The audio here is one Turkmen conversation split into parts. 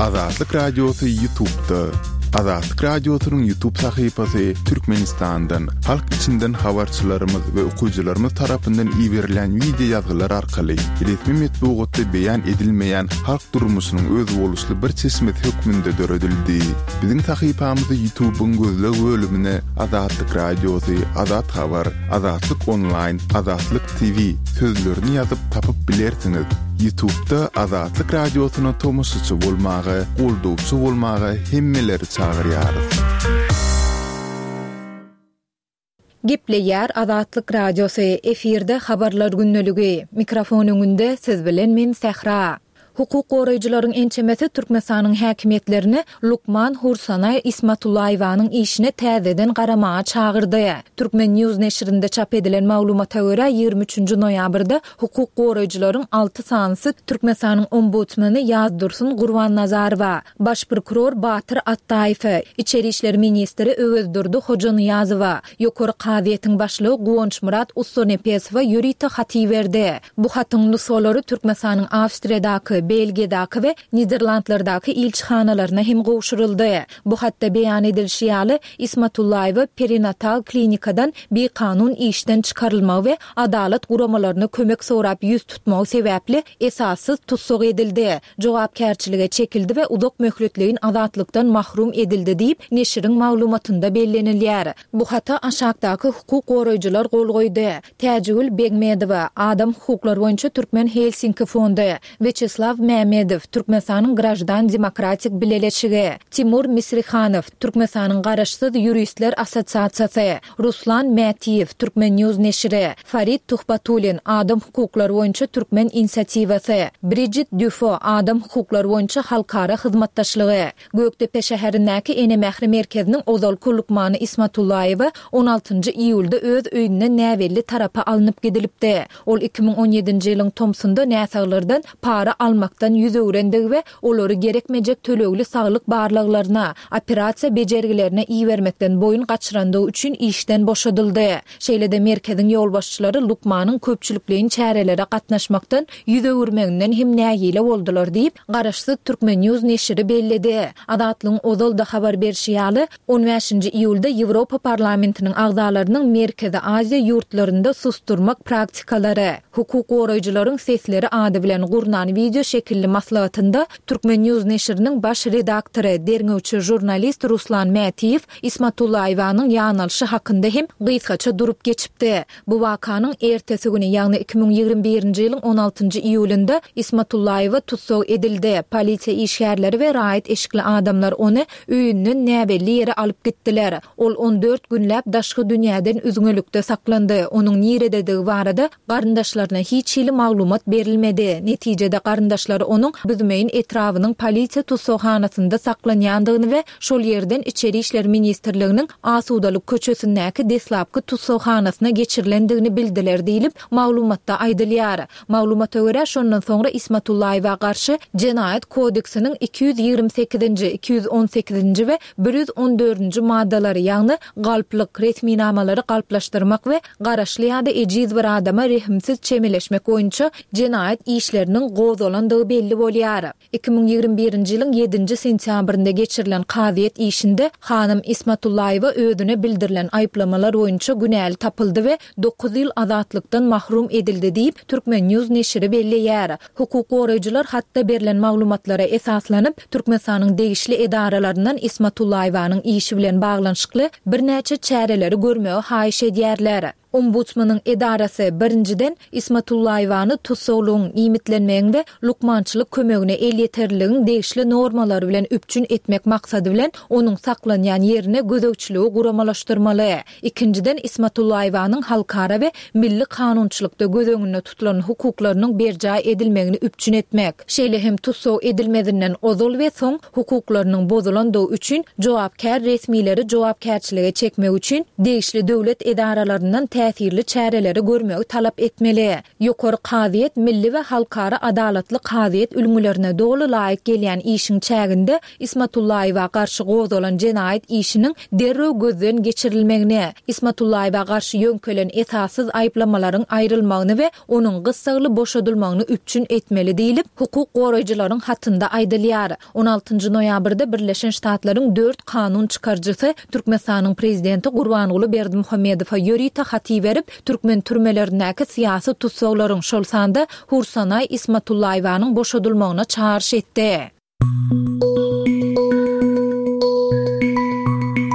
Azatlyk Radiosy Ýutubda. Azatlyk Radiosynyň Ýutub sahypasy Türkmenistandan, halk içinden habarçylarymyz we okyjylarymyz tarapyndan iberilýän wideo ýazgylar arkaly resmi metbugatda beýan edilmeýän halk durmuşynyň özboluşly bir çeşmesi hökmünde döredildi. Biziň sahypamyzy Ýutubyň gözleg bölümine Azatlyk Radiosy, Azat Habar, Azatlyk Onlaýn, Azatlyk TV sözlerini ýazyp tapyp bilersiňiz. Ýutubda Azatlyk Radiosyna tomaşaçy bolmaga, goldawçy bolmaga hemmeleri çagyrýarys. Gepleýär Azatlyk Radiosy, efirde Habarlar gündeligi. Mikrofon öňünde siz bilen men Sähra. Hukuk goraýjylaryň ençemesi Türkmenistanyň häkimiýetlerini lukman Hursanaý Ismatullaýewanyň işine täzeden garamaga çagyrdy. Turkmen. News neşirinde çap edilen maglumata görä, 23-nji noýabrda hukuk goraýjylaryň alty sanysy Türkmenistanyň ombudsmeni Ýazdursun Gurbannazarowa, Baş prokuror Batyr Atdaýewe, içeri işler ministri Öwezdurdy Hojanyýazowa, Ýokary kazyýetiň başlygy Guwançmyrat Ussanepesowa ýörite hat iberdi. Bu hatyň nusgalary Türkmenistanyň Awstriýadaky, Belgiýadaky we Niderlandlardaky ilçihanalaryna hem gowşuryldy. Bu hatda beýan edilişi ýaly, Ismatullaýewa perinatal klinikadan bikanun işden çykarylmagy we adalat guramalaryna kömek sorap ýüz tutmagy sebäpli esassyz tussag edildi. jogapkärçilige çekildi we uzak möhletleýin azatlykdan mahrum edildi diýip, neşiriň maglumatynda bellenilýär. Bu hata aşakdaky hukuk goraýjylar gol goýdy, Täjigül Begmedowa, Adam hukuklary boýunça Türkmen Helsinki fondy, Weçeslaw Mämedow, Türkmenistanyň Graždan demokratik bileleşigi, Timur Misrihanow, Türkmenistanyň Garaşsyz ýuristler assosiasiýasy, Ruslan Mätiýew, Turkmen. News neşiri, Farid Tuhbatullin, Adam hukuklary boýunça Türkmen inisiatiwasy, Brijit Dýufo, Adam hukuklary boýunça halkara hyzmatdaşlygy. Gökdepe şäherindäki Ene mähri merkeziniň ozalky lukmany Ismatullaýewa on altynjy iýulda öz öýünden näbelli tarapa alnyp gidilipdi. Ol 2017-nji ýylyň tomsunda näsaglardan para almakdan ýüz öwrendigi we olary gerekmejek tölegli saglyk barlaglaryna, operasiýa bejergilerine ibermekden boýun gaçyrandygy üçin işden boşadyldy. Şeýle-de merkeziň ýolbaşçylary lukmanyň köpçülikleýin çärelere gatnaşmakdan ýüz öwürmeginden hem nägile boldular diýip, garaşsyz Turkmen. News neşiri belledi. Azatlygyň ozal-da habar berşi ýaly, on bäşinji iýulda Ýewropa Parlamentiniň agzalarynyň Merkezi Aziýa ýurtlarynda susdurmak praktikalary, Hukuk goraýjylaryň sesleri ady bilen gurnan wideo şekilli maslahatynda Turkmen. News neşiriniň baş redaktory, derňewçi žurnalist Ruslan Mätiýew Ismatullaýewanyň ýanalyşy hakynda hem gysgaça durup geçipdi. Bu wakanyň ertesi güni, ýagny 2021-nji ýylyň on altynjy iýulynda Ismatullaýewa tussag edildi. Polisiýa işgärleri we raýat eşikli adamlar ony öýünden näbelli ýere alyp gitdiler. Ol on dört günläp daşky dünýäden üzňelikde saklandy, onuň nirededigi barada garyndaşlaryna hiç hili maglumat berilmedi. Netijede garyndaşlary onuň Büzmeýin etrabynyň polisiýa tussaghanasynda saklanýandygyny we şol ýerden Içeri işler ministrliginiň Asudalyk köçesindäki deslapky tussaghanasyna geçirilendigini bildiler diýlip, maglumatda aýdylýar. Maglumata görä, şondan soňra Ismatullaýewa garşy Jenaýat kodeksiniň 228-nji, 218-nji we 114-nji maddalary, ýagny galplyk, resminamalary galplaşdyrmak we garaşly ýa-da ejiz bir adama rehimsiz çemeleşmek boýunça jenaýat işleriniň gozgalandygy belli bolýar. 2021-nji ýylyň ýedinji sentýabrynda geçirilen kazyýet işinde hanym Ismatullaýewa özüne bildirilen aýyplamalar boýunça günäli tapyldy we dokuz ýyl azatlykdan mahrum edildi diýip, Turkmen. News neşiri belleýär. Hukuk goraýjylar hatda berlen maglumatlara esaslanyp, Türkmenistanyň degişli edaralaryndan Ismatullaýewanyň işi bilen baglanyşykly birnäçe çäreleri görmegi haýyş edýärler. Ombudsmanyň edarasy, birinjiden, Ismatullaýewany tussaglygyň, iýmitlenmegiň we lukmançylyk kömegine elýeterliligiň degişli normalary bilen üpjün etmek maksady bilen onuň saklanýan ýerine gözegçiligi guramalaşdyrmaly. Ikinjiden, Ismatullaýewanyň halkara we milli kanunçylykda göz öňünde tutulan hukuklarynyň berjaý edilmegini üpjün etmek, şeýle hem tussag edilmezinden ozal we soň hukuklarynyň bozulandygy üçin jogapkär resmileri jogapkärçilige çekmek üçin degişli döwlet edaralaryndan. täsirli çäreleri görmegi talap etmeli. Ýokary kazyýet milli we halkara adalatly kazyýet ülňülerine doly laýyk gelýän işiň çäginde Ismatullaýewa garşy gozgalan jenaýat işiniň derrew gözden geçirilmegini, Ismatullaýewa garşy ýöňkelen esassyz aýyplamalaryň aýrylmagyny we onuň gyssagly boşadylmagyny üpjün etmeli diýlip, hukuk goraýjylaryň hatynda aýdylýar. On altynjy noýabrda Birleşen Ştatlaryň dört kanun çykaryjysy Türkmenistanyň prezidenti Gurbanguly Berdimuhamedowa ýörite hat iberip, türkmen türmelerindäki syýasy tussaglaryň, şol sanda Hursanaý Ismatullaýewanyň boşadylmagyna çagyryş etdi.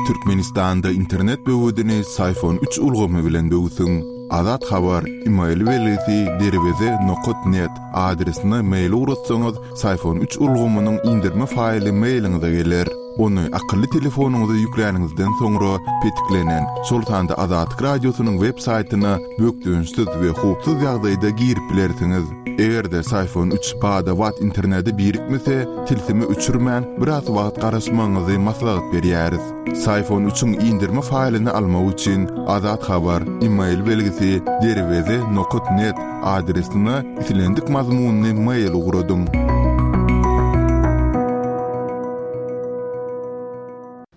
Türkmenistanda internet böwedini Syfon üç ulgamy bilen böwsüň. Azat Habar, email belgisi derweze nokat net adresine mail ugratsaňyz, Syfon üç ulgamynyň indirme faýly mailiňize geler. Ony akylly telefonyňyza ýükläniňizden soňra petiklenen, şol sanda Azatlyk Radiosynyň web saýtyna bökdençsiz we howpsuz ýagdaýda girip bilersiňiz. Eger-de Syfon üç bada-bat internete birikmese, tilsimi öçürmän, biraz wagt garaşmagyňyzy maslahat berýäris. Syfon üçiň indirme faýlyny almak üçin Azat Habar, email belgisi derweze nokat net adresine islendik mazmunly mail ugradyň.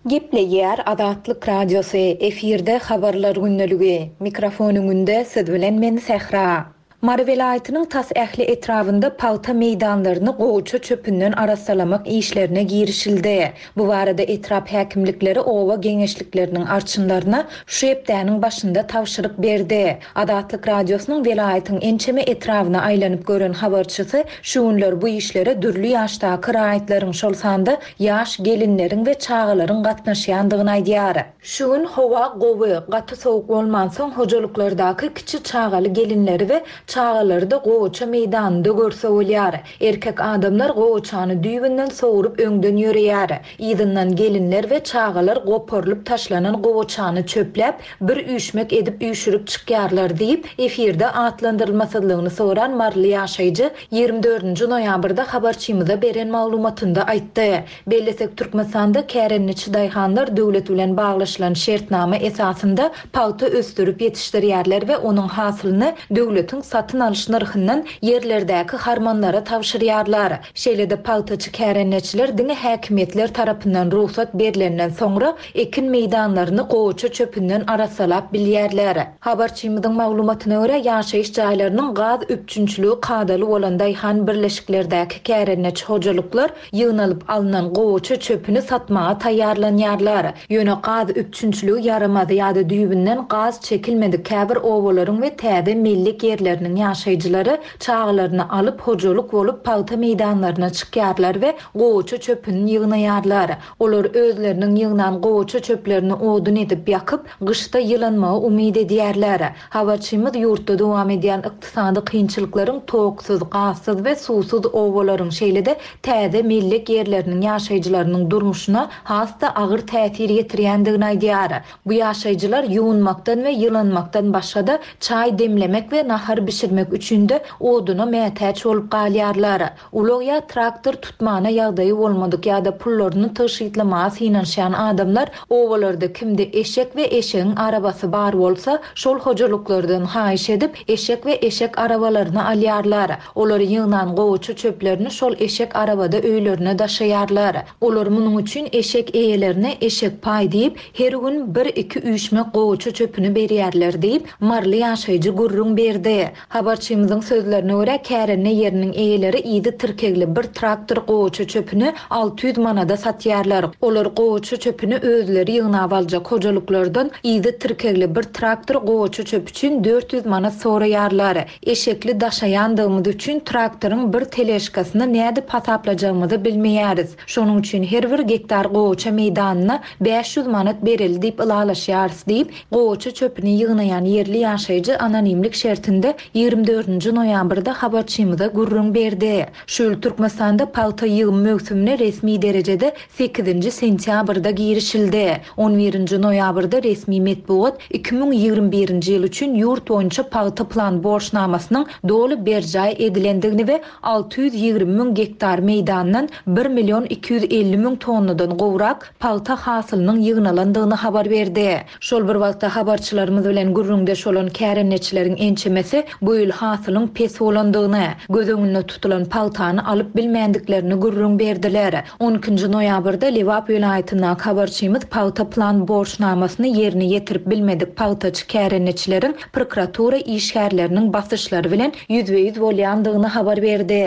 Gepleýär Azatlyk Radiosy, efirde Habarlar gündeligi. Mikrofon öňünde siz bilen men Sähra. Mary welaýatynyň tas ähli etrabynda pagta meýdanlaryny gowaça çöpünden arassalamak işlerine girişildi. Bu barada etrap häkimlikleri oba geňeşlikleriniň arçynlaryna şu hepdäniň başynda tabşyryk berdi. Azatlyk Radiosynyň welaýatyň ençeme etrabyna aýlanyp gören habarçysy şu günler bu işlere dürli ýaşdaky raýatlaryň, şol sanda ýaş gelinleriň we çagalaryň gatnaşýandygyny aýdýar. Şu gün howa gowy, gaty sowuk bolmansoň hojalyklardaky kiçi çagaly gelinleri we çagalary-da gowaça meýdanynda görse bolýar. Erkek adamlar gowaçany düýbünden sogrup öňden ýöreýär. Yzyndan gelinler we çagalar goparylyp taşlanan gowaçany çöpläp, bir üýşmek edip üýşürip çykýarlar diýip, efirde atlandyrylmasyzlygyny soran maryly ýaşaýjy 24-nji noýabrda habarçymyza beren maglumatynda aýtdy. Bellesek, Türkmenistanda kärendeçi daýhanlar döwlet bilen baglaşylan şertnama esasynda pagta ösdürip ýetişdirýärler we onuň hasylyny döwletiň satyn alyş nyrhyndan ýerlerdäki harmanlara tabşyrýarlar. Şeýle-de pagtaçy kärendeçiler diňe häkimiýetler tarapyndan rugsat berlenden soňra ekin meýdanlaryny gowaça çöpünden arassalap bilýärler. Habarçymyzyň maglumatyna görä, ýaşaýyş jaýlarynyň gaz üpjünçiligi kadaly bolan daýhan birleşiklerdäki kärendeçi hojalyklar Ýygnalyp alnan gowaça çöpüni satmaga taýýarlanýarlar. Ýöne gaz üpjünçiligi ýaramaz ýa-da düýbünden gaz çekilmedik käbir obalaryň we täze mellek ýerleriniň ýaşaýjylary çagalaryny alyp hojalyk bolup pagta meýdanlaryna çykýarlar we gowaça çöpüni ýygnaýarlar. Olar özleriniň ýygnan gowaça çöplerini odun edip ýakyp, gyşda ýylanmagy umyt edýärler. Habarçymyz ýurtda dowam edýän ykdysady kynçylyklaryň toksuz, gazsyz we suwsuz obalaryň, şeýle-de täze mellek ýerleriniň ýaşaýjylarynyň durmuşyna has-da agyr täsir ýetirýändigini aýdýar. Bu ýaşaýjylar ýuwunmakdan we ýylanmakdan başga-da, çaý demlemek we nahar bişirmek üçin-de oduna mätäç bolup galýarlar. Ulag ýa traktor tutmana ýagdaýy bolmadyk ýa-da pullaryny tygşytlamaga synanyşýan adamlar obalarda kimde eşek we eşegiň arabasy bar bolsa, şol hojalyklardan haýyş edip, eşek we eşek arabalaryny alýarlar. Olar ýygnan gowaça çöplerini şol eşek arabada öýlerine daşaýarlar. Olar munuň üçin eşek eýelerine eşek paý diýip, her gün bir-iki üýşmek gowaça çöpüni berýärler diýip, maryly ýaşaýjy gürrüň berdi. Habarçymyzyň sözlerine görä, kärende ýeriniň eýeleri yzy tirkegli bir traktor gowaça çöpüni 600 manada satýarlar. Olar gowaça çöpüni özleri ýygnap aljak hojalyklardan yzy tirkegli bir traktor gowaça çöpi üçin 400 manat soraýarlar. Eşekli daşaýandygymyz üçin traktoryň bir teležkasyny nädip hasaplajagymyzy bilmeýäris. Şonuň üçin her bir gektar gowaça meýdanyna 500 manat bereli diýip ylalaşýarys diýip, Gowaça çöpüni ýygnaýan ýerli ýaşaýjy anonimlik şertinde 24 nji noýabrda habarçymyza gürrüň berdi. Şu ýyl Türkmenistanda pagta ýygym möwsümine resmi derejede sekizinji sentýabrda girişildi. On birinji noýabrda resmi metbugat 2021-nji ýyl üçin ýurt boýunça pagta plan borçnamasynyň doly berjaý edilendigini we 620 müň gektar meýdandan bir million 250 müň tonnadan gowrak pagta hasylynyň ýygnalandygyny habar berdi. Şol bir wagtda, habarçylarymyz bilen gürrüňdeş bolan kärendeçileriň ençemesi bu ýyl hasylyň pes bolandygyny, göz öňünde tutulan pagtany alyp bilmändiklerini gürrüň berdiler. On ikinji noýabrda Lebap welaýatyndaky habarçymyz pagta plan borçnamasyny ýerine ýetirip bilmedik pagtaçy kärendeçileriň prokuratura işgärleriniň basyşlary bilen ýüzbe-ýüz bolýandygyny habar berdi.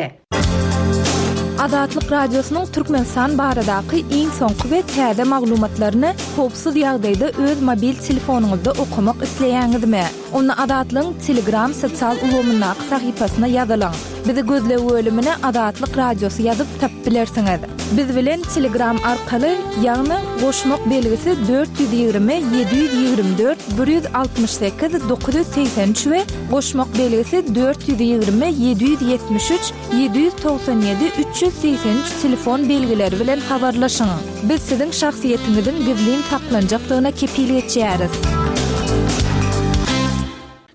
Azatlyk Radiosynyň Türkmenistan baradaky iň soňky we täze maglumatlaryny howpsuz ýagdaýda öz mobil telefonyňyzda okamak isleýäňizmi? Onda Azatlygyň Telegram sosial ulgamyndaky sahypasyna ýazylyň. Bizi gözleg bölümine Azatlyk Radiosy ýazyp tapyp bilersiňiz. Biz bilen Telegram arkaly, ýagny goşmak belgisi 420 724 168 983 we Goşmak belgisi 420 773 797 383 telefon belgileri bilen habarlaşyň. Biz siziň şahsyýetiňiziň gizlin saklanjakdygyna kepil geçýäris.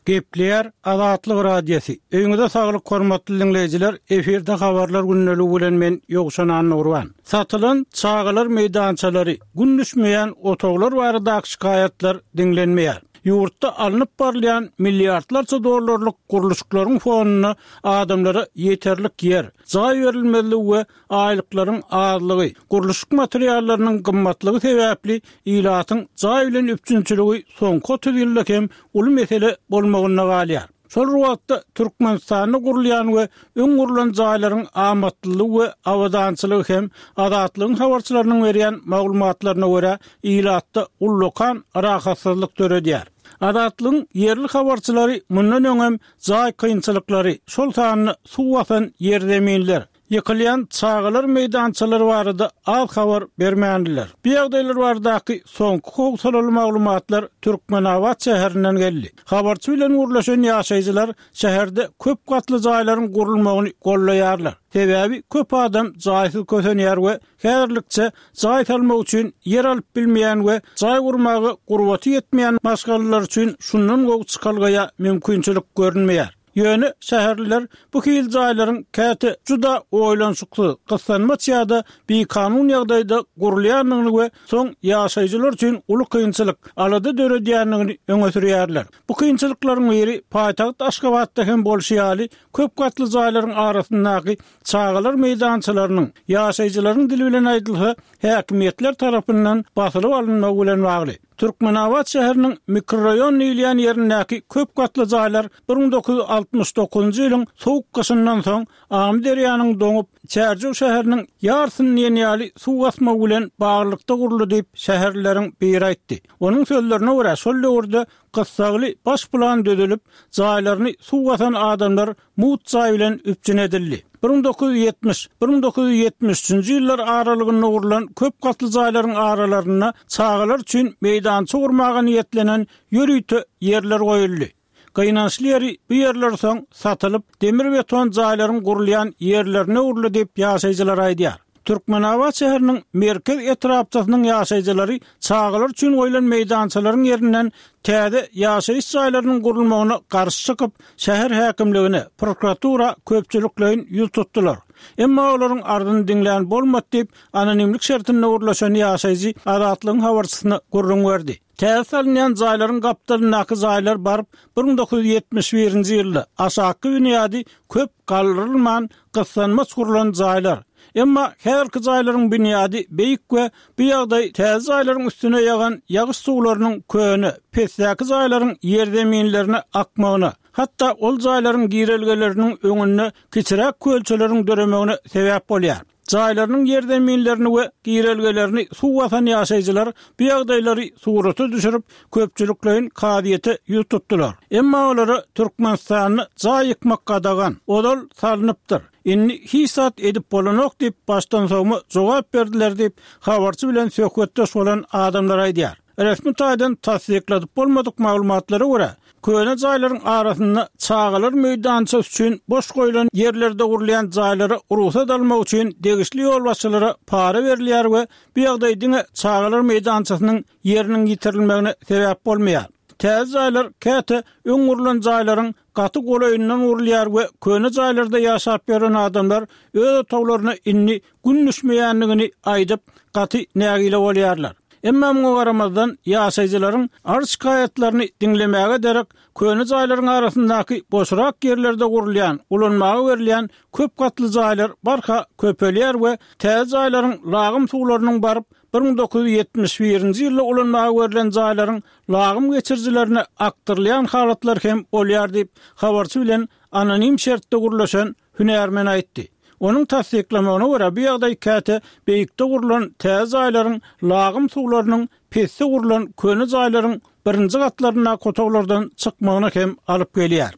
Gepleýär Azatlyk Radiosy. Öýüňize saglyk hormatly diňleýjiler, efirde habarlar gündeligi bilen men Ýowşan Annagurban. Satylan çagalar meýdançalary, gün düşmeýän otaglar baradaky şikaýatlar diňlenmeýär. Ýurtda alnyp barylýan milliardlarça dollarlyk gurluşyklaryň fonunda adamlara ýeterlik ýer, jaý berilmezligi we aýlyklaryň azlygy, gurluşyk materiallarynyň gymmatlygy sebäpli ilatyň jaý bilen üpjünçiligi soňky 30 ýylda hem uly mesele bolmagynda galýar. Şol bir wagtda, Türkmenistanda gurulýan we öň gurlan jaýlaryň amatlylygy we abadançylygy hem Azatlygyň habarçylarynyň berýän maglumatlaryna görä, ilatda ullakan rahatsyzlyk döredýär. Azatlygyň ýerli habarçylary mundan öňem jaý kynçylyklary, şol sanda suw basan ýerzeminler, Ýykylýan çagalar meýdançalary barada az habar bermändiler. Bu ýagdaýlar baradaky soňky howsalaly maglumatlar Türkmenabat şäherinden geldi. Habarçy bilen gürleşen ýaşaýjylar şäherde köp gatly jaýlaryň gurulmagyny goldaýarlar. Sebäbi köp adam jaýsyz kösenýär we häzirlikçe jaý salmak üçin ýer alyp bilmeýän we jaý gurmaga gurbaty ýetmeýän maşgalalar üçin şundan gowy çykalga ýa mümkinçilik görünmeýär. Ýöne şäherliler bu hili jaýlaryň käte juda oýlanyşyksyz, gyssanmaç ýa-da bikanun ýagdaýda gurulýandygyny we soň ýaşaýjylar üçin uly kynçylyk, alada döredýändigini öňe sürýärler. Bu kynçylyklaryň biri paýtagt Aşgabatda hem bolşy ýaly, köp gatly jaýlaryň arasyndaky çagalar meýdançalarynyň, ýaşaýjylaryň dili bilen aýdylsa, häkimiýetler tarapyndan basylyp alynmagy bilen bagly. Türkmenabat şäheriniň mikroraýon diýilýän ýerindäki köp gatly jaýlar 1969-njy ýylyň sowuk gyşyndan soň Amyderýanyň doňup, Çärjew şäheriniň ýarysyny diýen ýaly suw basmagy bilen baglylykda guruldy diýip, şäherlileriň biri aýtdy. Onuň sözlerine görä, şol döwürde gyssagly baş plan düzülip, jaýlaryny suw basan adamlar mugt jaý bilen üpjün edildi. 1970, 1973-nji ýyllar aralygynda gurlan köp gatly jaýlaryň aralarynda çagalar üçin meýdança gurmaga niýetlenen ýörite ýerler goýuldy. Gynançly ýeri, bu ýerler soň satylyp, demir-beton jaýlaryň gurulýan ýerlerine öwrüldi diýip, ýaşaýjylar aýdýar. Türkmenabat şäheriniň Merkez etrapçasynyň ýaşaýjylary çagalar üçin goýlan meýdançalaryň ýerinden täze ýaşaýyş jaýlarynyň gurulmagyna garşy çykyp, şäher häkimligine, prokuratura köpçülikleýin ýüz tutdular. Emma olaryň arzyny diňlän bolmady diýip, anonimlik şertinde gürleşen ýaşaýjy Azatlygyň habarçysyna gürrüň berdi. Täze salynýan jaýlaryň gapdalyndaky jaýlar baryp, 1971-nji ýylda aşakky binýady köp galdyrylman, gyssanmaç gurlan jaýlar. Emma häzirki jaýlaryň binýady beýik we bu ýagdaý täze jaýlaryň üstüne ýagan ýagyş suwlarynyň köne, pesdäki jaýlaryň ýerzeminlerine akmagyna, hatda ol jaýlaryň girelgeleriniň öňünde kiçiräk kölçeleriň döremegine sebäp bolýar. Jaýlarynyň ýerzeminlerini we girelgelerini suw basan ýaşaýjylar bu ýagdaýlary surata düşürip, köpçülikleýin kazyýete ýüz tutdular. Emma olara Türkmenistanda jaý ýykmak gadagan, ozal salnypdyr, indi hiç zat edip bolanok diýip, başdansowma jogap berdiler diýip, habarçy bilen söhbetdeş bolan adamlar aýdýar. Resmi taýdan tassykladyp bolmadyk maglumatlara görä, köne jaýlaryň arasynda çagalar meýdançasy üçin boş goýlan ýerlerde gurulýan jaýlara rugsat almak üçin degişli ýolbaşçylara para berilýär we bu ýagdaý diňe çagalar meýdançasynyň ýeriniň ýitirilmegine sebäp bolmaýar. Täze jaýlar käte öň gurlan jaýlaryň gaty golaýyndan gurulýar we köne jaýlarda ýaşap ýören adamlar öz otaglaryna indi gün düşmeýändigini aýdyp, gaty nägile bolýarlar. Emma muňa garamazdan, ýaşaýjylaryň arz-şikaýatlaryny diňlemäge derek, köne jaýlaryň arasyndaky boşrak ýerlerde gurulýan, ulanmaga berilýän köp gatly jaýlar barha köpelýär we täze jaýlaryň lagym suwlarynyň baryp, 1971-nji ýylda ulanmaga berlen jaýlaryň lagym geçirijilerine akdyrylýan halatlar hem bolýar diýip, habarçy bilen anonim şertde gürleşen hünärmen aýtdy. Onuň tassyklamagyna görä, bu ýagdaý käte beýikde gurlan täze jaýlaryň lagym suwlarynyň pesde gurlan köne jaýlaryň birinji gatlaryndaky otaglardan çykmagyna hem alyp gelýär.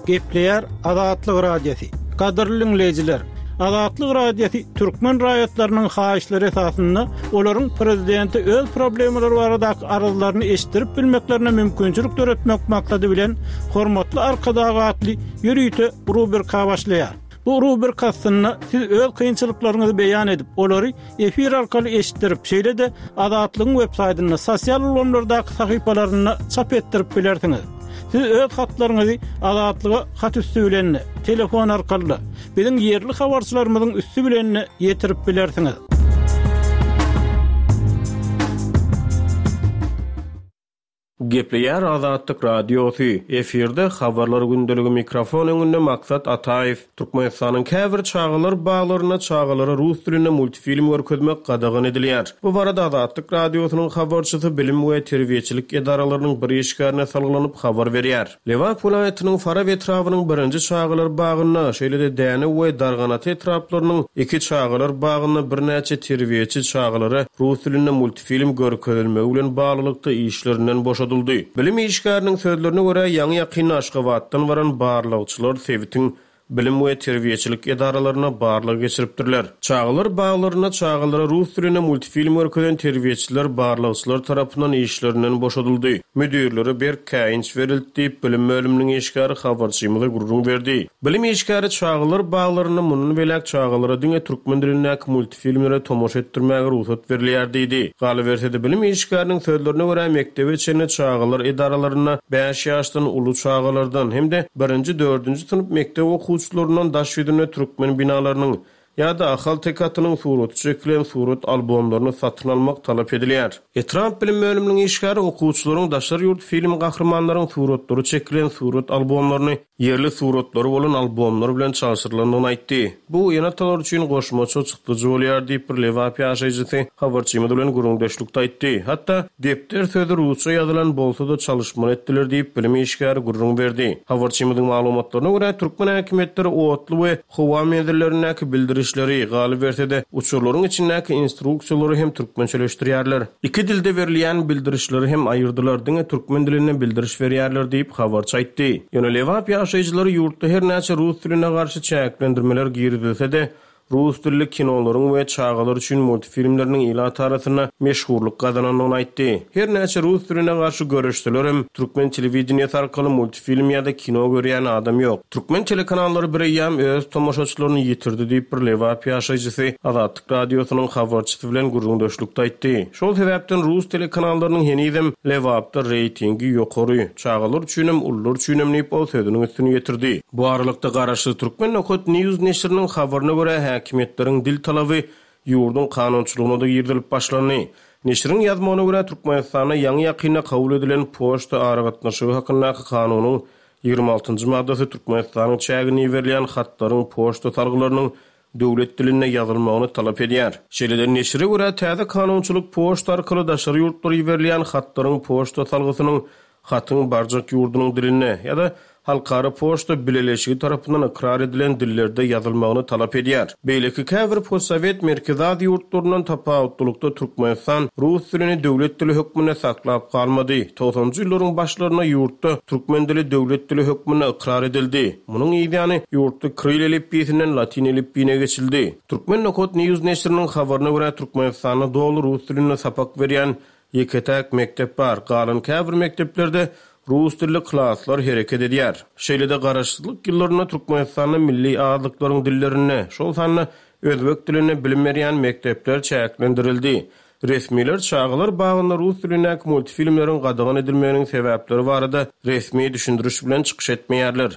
Gepleýär Azatlyk Radiosy. Gadyrly diňleýjiler! Azatlyk Radiosy türkmen raýatlarynyň haýyşlary esasynda olaryň prezidente öz problemalary baradaky arzlaryny eşitdirip bilmeklerine mümkinçilik döretmek maksady bilen Hormatly Arkadag atly ýörite rubrika başlaýar. Bu rubrika astynda siz öz kynçylyklaryňyzy beýan edip, olary efir arkaly eşitdirip, şeýle-de Azatlygyň websaýtynda, sosial ulgamlardaky sahypalarynda çap etdirip bilersiňiz. Siz öz hatlaryňyzy Azatlyga hat üsti bilen-de, telefon arkaly-da, biziň ýerli habarçylarymyzyň üsti bilen-de ýetirip bilersiňiz. Gepleýär Azatlyk Radiosy, efirde Habarlar gündeligi mikrofon öňünde Maksat Ataýew. Türkmenistanyň käbir çagalar baglarynda çagalara rus dilinde multfilm görkezmek gadagan edilýär. Bu barada Azatlyk Radiosynyň habarçysy bilim we terbiýeçilik edaralarynyň bir işgärine salgylanyp habar berýär. Lebap welaýatynyň Farap etrabynyň birinji çagalar bagynda, şeýle-de Dänew we Darganata etraplarynyň iki çagalar bagynda birnäçe terbiýeçi çagalara rus dilinde multfilm görkezilmegi bilen baglylykda işlerinden boşadyldy. Bilim işgäriniň sözlerine görä, ýaňy-ýakynda Aşgabatdan baran barlagçylar sebitiň bilim we terbiýeçilik edaralaryna barlag geçiripdirler. Çagalar baglarynda çagalara rus dilinde multfilm görkezen terbiýeçiler barlagçylar tarapyndan işlerinden boşadyldy. Müdirlere berk käýinç berildi diýip, bilim bölüminiň işgäri habarçymyza gürrüň berdi. Bilim işgäri çagalar baglarynda mundan beýläk çagalara diňe türkmen dilindäki filmlere tomaşa etdirmäge rugsat berilýär diýdi. Galyberse-de, bilim işgäriniň sözlerine görä, mekdebe çenli çagalar edaralarynda bäş ýaşdan uly çagalardan hem-de birinji-dördünji synp mekdep okuwçylaryndan daş ýüzünde türkmen binalarynyň ýa-da ahalteke atynyň suraty çekilen surat albomlaryny satyn almak talap edilýär. Etrap bilim bölüminiň işgäri okuwçylaryň daşary ýurt film gahrymanlaryň suratlary çekilen surat albomlaryny ýerli suratlary bolan albomlar bilen çalşyrylandygyny aýtdy. Bu ene-atalar üçin goşmaça çykdajy bolýar diýip, bir lebap ýaşaýjysy habarçymyz bilen gürrüňdeşlikde aýtdy. Hatda, depder sözi rusça ýazylan bolsa-da çalyşmaly etdiler diýip, bilim işgäri gürrüň berdi. Habarçymyzyň maglumatlaryna görä, türkmen häkimiýetleri otly we howa menzillerindäki bildirişleri, galyberse-de, uçarlaryň içindäki instruksiýalary hem türkmençeleşdirýärler. Iki dilde berilýän bildirişleri hem aýyrdylar, diňe türkmen dilinde bildiriş berýärler diýip, habarçy aýtdy. Ýöne lebap ýaşaýjylary ýurtda her näçe rus diline garşy çäklendirmeler girizilse-de, rus dilli kinolaryň we çagalar üçin multfilmleriniň ilat arasynda meşhurlyk gazanandygyny aýtdy. Her näçe rus diline garşy göreşselerem, türkmen telewideniýesi arkaly multfilm ýa-da kino görýän adam ýok. Türkmen telekanallary bireýýäm öz tomaşaçylaryny ýitirdi diýip, bir lebap ýaşaýjysy Azatlyk Radiosynyň habarçysy bilen gürrüňdeşlikde aýtdy. Şol sebäpden rus telekanallarynyň henizem Lebapda reýtingi ýokary, çagalar üçinem, ulular üçinem diýip, ol sözüniň üstüni ýetirdi. Bu aralykda, garaşsyz Türkmen Nokat News neşiriniň habaryna görä, häkimiýetleriň dil talaby ýurduň kanunçylygyna-da girizilip başlandy. Neşiriň ýazmagyna görä, Türkmenistanda ýaňy-ýakynda kabul edilen Poçta aragatnaşygy hakyndaky kanunyň 26 njy maddasy Türkmenistanyň çägine iberilýän hatlaryň poçta salgylarynyň döwlet dilinde ýazylmagyny talap edýär. Şeýle-de, neşire görä, täze kanunçylyk poçta arkaly daşary ýurtlara iberilýän hatlaryň poçta salgysynyň hatyň barjak ýurdunyň dilinde ýa-da Halkara poçta bileleşigi tarapyndan ykrar edilen dillerde ýazylmagyny talap edýär. Beýleki käbir postsowet Merkezi Aziýa ýurtlaryndan tapawutlylykda Türkmenistan rus dilini döwlet dili hökmünde saklap galmady. Togsanjy ýyllaryň başlarynda ýurtda türkmen dili döwlet dili hökmünde ykrar edildi. Munuň yzýany ýurtda kril elipbiýsinden latyn elipbiýine geçildi. Turkmen Nokat News neşiriniň habaryna görä, Türkmenistanda doly rus dilinde sapak berýän Ýeke-täk mekdep bar, galan käbir mekdeplerde rus dilli klaslar hereket edýär. Şeýle-de garaşsyzlyk ýyllarynda Türkmenistanda milli azlyklaryň dillerinde, şol sanda özbek dilinde bilim berýän mekdepler çäklendirildi. Resmiler çagalar bagynda rus dilindäki multfilmleriň gadagan edilmeginiň sebäpleri barada resmi düşündiriş bilen çykyş etmeýärler.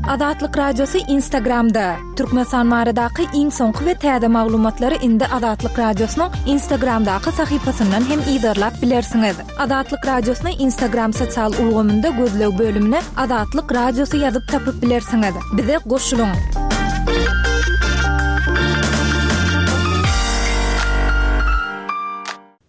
Azatlyk Radiosy Instagramda, Türkmenistan baradaky iň soňky we täze maglumatlary indi Azatlyk Radiosynyň Instagramdaky sahypasyndan hem yzarlap bilersiňiz. Azatlyk Radiosyny Instagram sosial ulgamynda gözleg bölümine Azatlyk Radiosy ýazyp tapyp bilersiňiz. Bize goşulyň!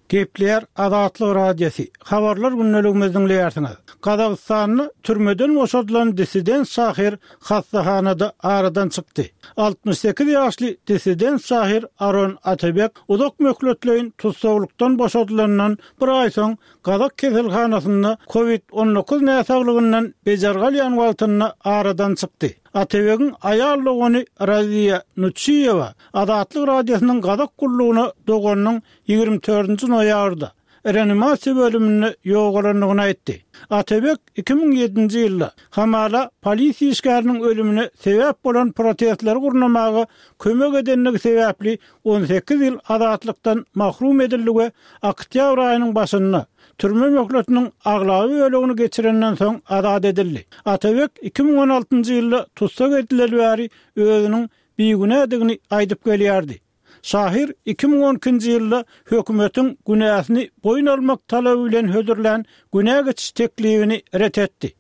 Gepleýär Azatlyk Radiosy, Habarlar gündeligimizi diňleýärsiňiz. Gazagystanda türmeden boşadylan dissident şahyr hassahanada aradan çykdy. 68 ýaşly dissident şahyr Aron Atabek uzak möhletleýin tussaglykdan boşadylandan bir aý soň gazak keselhanasynda Covid 19 näsaglygyndan bejergi alýan wagtynda aradan çykdy. Atabegiň aýal dogany Raziýa Nuçiýewa Azatlyk Radiosynyň gazak gullugyna doganynyň 24 nji noýabrda reanimasiýa bölüminde ýogalandygyny aýtdy. Atabek 2007-nji ýylda, hamala, polisiýa işgäriniň ölümine sebäp bolan protestleri gurnamaga kömek edendigi sebäpli 18 ýyl azatlykdan mahrum edildi we oktýabr aýynyň başynda, türme möhletiniň aglaba bölegini geçirenden soň azat edildi. Atabek 2016-njy ýylda tussag edileli bäri özüniň bigünädigini aýdyp gelýärdi. Şahyr 2012-nji ýylda hökümetiň günäsini boýun almak talaby bilen hödürlän günä geçiş teklibini ret etdi.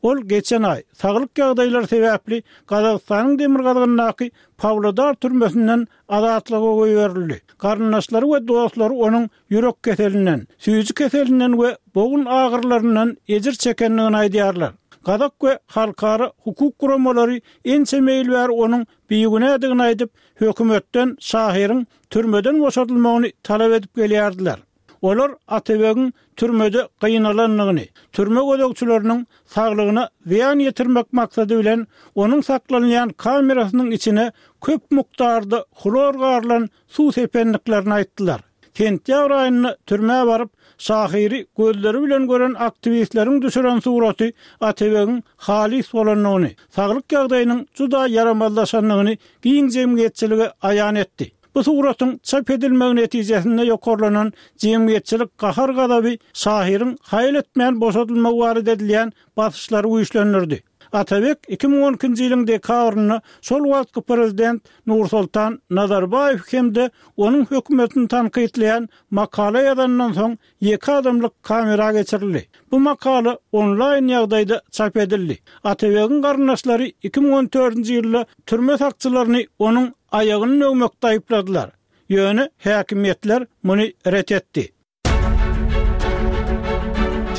Ol geçen aý, saglyk ýagdaýlary sebäpli Gazagystanyň demirgazygyndaky Pawlodar türmesinden azatlyga goýberildi. Garyndaşlary we dostlary onuň ýürek keselinden, süýji keselinden we bogun agyrylaryndan ejir çekendigini aýdýarlar. Gazak we halkara hukuk guramalary ençeme ýyl bäri onuň bigünädigini aýdyp, hökümetden şahyryň türmeden boşadylmagyny talap edip gelýärdiler. Olar Atabegiň türmede gynalandygyny, türme gözegçileriniň saglygyna zyýan ýetirmek maksady bilen onuň saklanylýan kamerasynyň içine köp mukdarda hlor garylan suw sependiklerini aýtdylar. Sentýabr aýynda türmä baryp, şahyry gözleri bilen gören aktiwistleriň düşüren suraty Atabegiň halys bolandygyny, saglyk ýagdaýynyň juda ýaramazlaşandygyny giň jemgyýetçilige aýan etdi. Bu suratyň çap edilmegi netijesinde ýokarlanan jemgyýetçilik gahar-gazaby şahyryň haýal etmän boşadylmagy barada edilýän basyşlary güýçlendirdi. Atabek 2012-nji ýylyň dekabrynda şol wagtky prezident Nursoltan Nazarbaýew hem-de onuň hökümetini tankytlaýan makala ýazandan soň ýeke adamlyk kamera geçirildi. Bu makala onlaýn ýagdaýda çap edildi. Atabegiň garyndaşlary 2014-nji ýylda türme sakçylaryny onuň aýagyny döwmekde aýypladylar. Ýöne häkimiýetler muny ret etdi.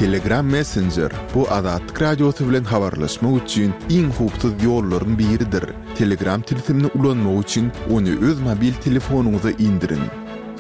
Telegram Messenger, bu Azatlyk Radiosy bilen habarlaşmak üçin iň howpsuz ýollaryň biridir. Telegram tilsimini ulanmak üçin ony öz mobil telefonyňyza indiriň.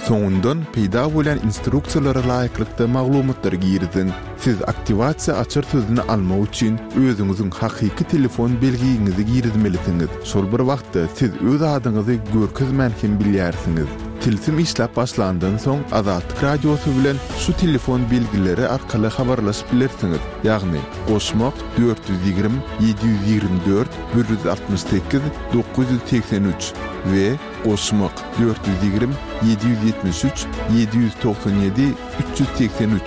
Soňundan peýda bolýan instruksiýalara laýyklykda maglumatlary giriziň. Siz aktiwasiýa açar sözüni almak üçin özüňiziň hakyky telefon belgiňizi girizmelisiňiz. Şol bir wagtda siz öz adyňyzy görkezmän hem bilýärsiňiz. Tilsim işläp başlandan soň Azatlyk Radiosy bilen şu telefon belgileri arkaly habarlaşyp bilersiňiz, ýagny, goşmak, 420 724 168 983 we goşmak, 420 773 797 383.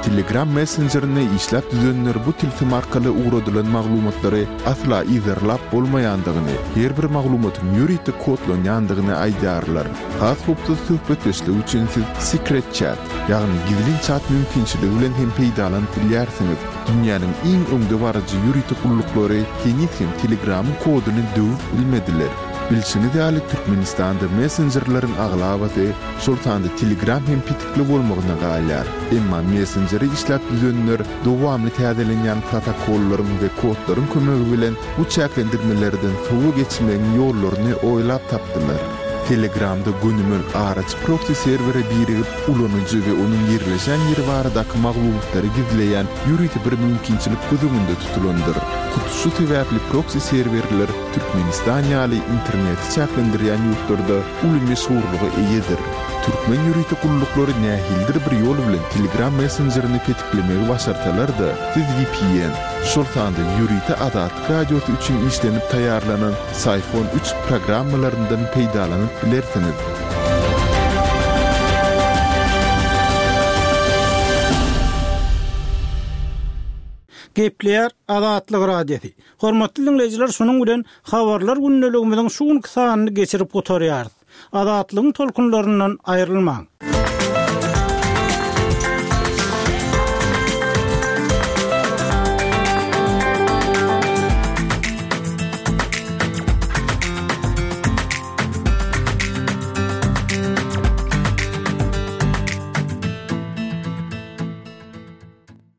Telegram messenjerini işläp düzenler bu tilsim arkaly ugradylan maglumatlary asla yzarlap bolmaýandygyny, her bir maglumatyň ýörite kodlanýandygyny aýdýarlar. Has howpsuz söhbetdeşlik üçin siz Secret Chat, ýagny gizlin çat mümkinçiligi bilen hem peýdalanyp bilýärsiňiz. Dünýäniň iň öňdebaryjy ýörite gulluklary heniz hem Telegramyň koduny döwüp bilmediler. Bilşiňiz ýaly, Türkmenistanda messenjerleriň aglabasy, şol sanda Telegram hem petikli bolmagyna galýar. Emma messenjeri işläp düzenler dowamly täzelenýän protokollaryň we kodlaryň kömegi bilen bu çäklendirmelerden sowa geçmegiň ýollaryny oýlap tapdylar. Telegramda gönümel araçy proksi serwere birigip, ulanyjy we onuň ýerleşen ýeri baradaky maglumatlary gizleýän ýörite bir mümkinçilik göz öňünde tutulandyr. Hut şu sebäpli proksi serwerler Türkmenistan ýaly interneti çäklendirýän ýurtlarda uly meşhurlyga eýedir. Türkmen ýörite gulluklary nähilidir bir ýol bilen Telegram messenjerini petiklemegi başarsalar-da, siz vpn, şol sanda ýörite Azatlyk Radiosy üçin işlenip taýýarlanan Syphon üç programmalaryndan peýdalanyp bilersiňiz. Gepleýär Azatlyk Radiosy. Hormatly diňleýjiler şunuň bilen Habarlar gündeligimiziň şu günki sanyny geçirip gutarýarys. Azatlygyň tolkunlaryndan aýrylmaň.